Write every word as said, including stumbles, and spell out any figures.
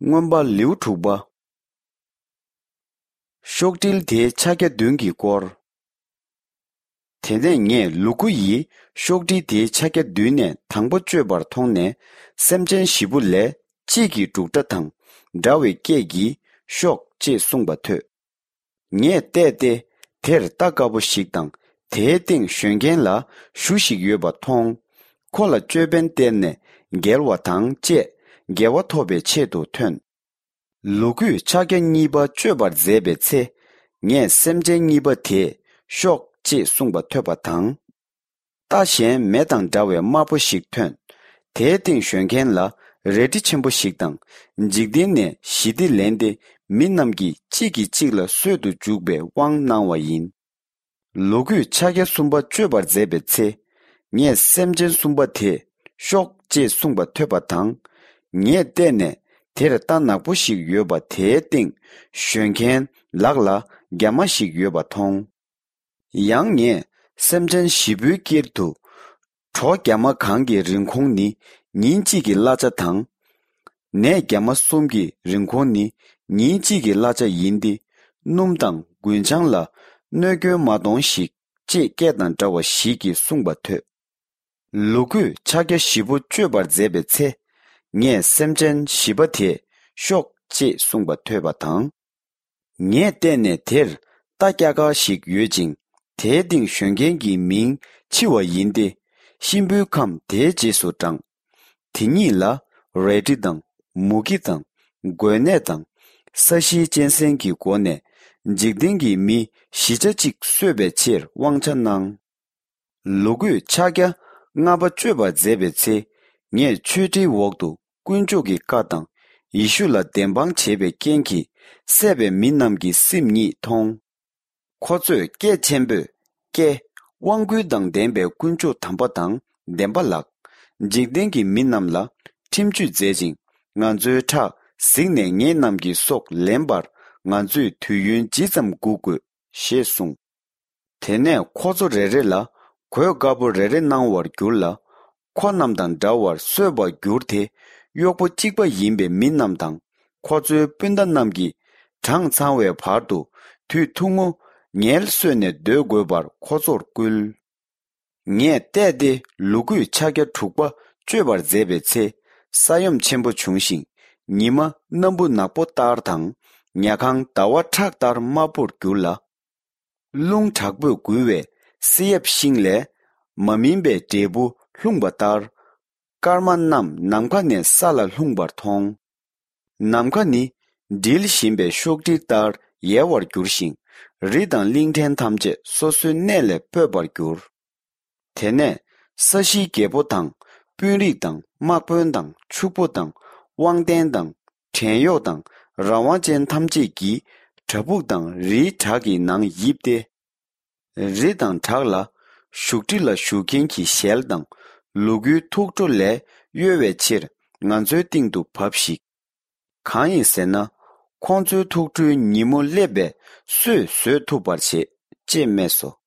མངོན་པ་ལེའུ་དྲུག་པ། ཤོག་དྲིལ་དེའི་ཕྱག་རྒྱ་བདུན་གྱི་སྐོར། དེ་ནས་ངས་ལུ་གུ་ཡིས་ཤོག་དྲིལ་དེའི་ཕྱག་རྒྱ་བདུན་ནས་དང་པོ་གཅོད་པར་མཐོང་ནས། སེམས་ཅན་བཞི་པོ་ལས་གཅིག་གི་འབྲུག་སྒྲ་དང་འདྲ་བའི་སྐད་ཀྱིས་ཤོག་ཅེས་གསུངས་པ་ཐོས། ངས་བལྟས་ཏེ། དེར་རྟ་དཀར་པོ་ཞིག་དང་། དེའི་སྟེང་ཞོན་མཁན་ལ་གཞུ་ཞིག་ཡོད་པ་མཐོང་། ཁོ་ལ་ཅོད་པན་སྟེར་ནས་རྒྱལ་བ་དང་བཅས་དགེ་བ་ཐོབ་པའི་ཆེད་དུ་ཐོན། ལུ་གུས་ཕྱག་རྒྱ་གཉིས་པ་གཅོད་པར་མཛད་པའི་ཚེ། ངས་སེམས་ཅན་གཉིས་པ་དེས་ཤོག་ཅེས་གསུངས་པ་ཐོས་པ་དང་། རྟ་གཞན་མེ་དང་འདྲ་བའི་དམར་པོ་ཞིག་ཐོན། དེའི་སྟེང་ཞོན་མཁན་ལ་རལ་གྲི་ཆེན་པོ་ཞིག་དང་། འཇིག་རྟེན་ནས་ཞི་བདེ་ལེན་ཏེ། མི་རྣམས་ཀྱིས་གཅིག་གིས་གཅིག་ལ་གསོད་དུ་འཇུག་པའི་དབང་གནང་བ་ཡིན། ལུ་གུས་ཕྱག་རྒྱ་གསུམ་པ་གཅོད་པར་མཛད་པའི་ཚེ། ངས་སེམས་ཅན་གསུམ་པ་དེས་ཤོག་ཅེས་གསུངས་པ་ཐོས་པ་དང་། ངས་བལྟས་ནས། དེར་རྟ་ནག་པོ་ཞིག་ཡོད་པ་དེའི་སྟེང་ཞོན་མཁན་ལག་ལ་རྒྱ་མ་ཞིག་ཡོད་པ་མཐོང་། ཡང་ངས་སེམས་ཅན་བཞི་པོའི་དཀྱིལ་དུ་གྲོ་རྒྱ་མ་གང་གི་རིན་གོང་ནི་ཉིན་གཅིག་གི་གླ་ཆ་དང་། ནས་རྒྱ་མ་གསུམ་གྱི་རིན་གོང་ནི་ཉིན་གཅིག་གི་གླ་ཆ་ཡིན་ཏེ། སྣུམ་དང་རྒུན་ཆང་ལ་གནོད་སྐྱོན་མ་གཏོང་ཞིག་ཅེས་སྐད་དང་འདྲ་བ་ཞིག་གིས་གསུངས་པ་ཐོས། ལུ་གུས་ཕྱག་རྒྱ་བཞི་པོ་གཅོད་པར་མཛད་པའི་ཚེ། ངས་སེམས་ཅན་བཞི་པ་དེས་ཤོག་ཅེས་གསུངས་པ་ཐོས་པ་དང་། ངས་བལྟས་ནས་དེར་རྟ་སྐྱ་ཀར་ཞིག་ཡོད་ཅིང་། དེའི་སྟེང་ཞོན་མཁན་གྱི་མིང་འཆི་བ་ཡིན་ཏེ། གཤིན་པོའི་ཁམས་དེའི་རྗེས་སུ་འབྲངས། དེ་ཉིད་ལ་རལ་གྲི་དང་མུ་གེ་དང་འགོས་ནད་དང་། ས་གཞིའི་གཅན་གཟན་གྱི་སྒོ་ནས་འཇིག་རྟེན་གྱི་མི་བཞི་ཆ་གཅིག་གསོད་པའི་ཕྱིར་དབང་ཆ་གནང་། ལུ་གུས་ཕྱག་རྒྱ་ལྔ་པ་གཅོད་པར་མཛད་པའི་ཚེ། ངས་མཆོད་ཁྲིའི་འོག་ཏུ་དཀོན་མཆོག་གི་བཀའ་དང་ཡེ་ཤུ་ལ་བདེན་དཔང་བྱས་པའི་རྐྱེན་གྱིས་བསད་པའི་མི་རྣམས་ཀྱི་སེམས་ཉིད་མཐོང་། ཁོ་ཚོས་སྐད་ཆེན་པོས། ཀྱེ། དབང་བསྐུར་དང་ལྡན་པའི་དཀོན་མཆོག་དམ་པ་དང་བདེན་པ་ལགས། འཇིག་རྟེན་གྱི་མི་རྣམས་ལ་ཁྲིམས་གཅོད་མཛད་ཅིང་། ང་ཚོའི་ཁྲག་གཟིགས་ནས་ངེད་རྣམས་ཀྱི་སྲོག་ལེན་པར་ང་ཚོས་དུས་ཡུན་ཇི་ཙམ་སྒུག་དགོས། ཞེས་གསུངས། དེ་ནས་ཁོ་ཚོ་རེ་རེ་ལ་གོས་དཀར་པོ་རེ་རེ་གནང་བར་གྱུར་ལ། ཁོ་རྣམས་དང་འདྲ་བར་གསོད་པར་གྱུར་ཏེ། གཡོག་པོ་གཅིག་པ་ཡིན་པའི་མི་རྣམས་དང་ཁོ་ཚོའི་སྤུན་ཟླ་རྣམས་ཀྱིས་གྲངས་ཚང་བའི་བར་དུ་དུས་ཐུང་ངུ་ངལ་གསོས་ནས་སྡོད་དགོས་པར་ཁོ་ཚོར་བསྐུལ། ངས་བལྟས་ཏེ་ལུ་གུས་ཕྱག་རྒྱ་དྲུག་པ་གཅོད་པར་མཛད་པའི་ཚེ། ས་ཡོམ་ཆེན་པོ་བྱུང་ཞིང་། ཉི་མ་སྣམ་བུ་ནག་པོ་ལྟར་དང་། ཉལ་ཁང་ཟླ་བ་ཁྲག་ལྟར་དམར་པོར་གྱུར་ལ། རླུང་དྲག་པོས་འགུལ་བས་བསེ་ཡབ་ཤིང་ལས་མ་སྨིན་པའི་འབྲས་བུ་ལྷུང་བ་ལྟར། སྐར་མ་རྣམས་ནམ་མཁའ་ནས་ས་ལ་ལྷུང་བར་མཐོང་། ནམ་མཁའ་ནི་དྲིལ་བཞིན་པའི་ཤོག་དྲིལ་ལྟར་ཡལ་བར་གྱུར་ཞིང་། རི་དང་གླིང་ཕྲན་ཐམས་ཅད་སོ་སོའི་གནས་ལས་སྤོས་པར་གྱུར། དེ་ནས་ས་གཞིའི་རྒྱལ་པོ་དང་། དཔོན་རིགས་དང་། དམག་དཔོན་དང་། ཕྱུག་པོ་དང་། དབང་ལྡན་དང་། བྲན་གཡོག་དང་། རང་དབང་ཅན་ཐམས་ཅད་ཀྱིས་བྲག་ཕུག་དང་རིའི་བྲག་གི་ནང་ཡིབས་ཏེ། རི་དང་བྲག་ལ་བཞུགས་ཁྲི་ལ་བཞུགས་མཁན་གྱི་ཞལ་དང་ལུ་གུའི་ཐུགས་ཁྲོ་ལས་གཡོལ་བའི་ཕྱིར་ང་ཚོའི་སྟེང་དུ་བབས་ཤིག། གང་ཡིན་ཟེར་ན། ཁོང་ཚོའི་ཐུགས་ཁྲོའི་ཉིན་མོ་སླེབས་པས་སུས་བཟོད་ཐུབ་པར་བྱེད། ཅེས་སྨྲས་སོ།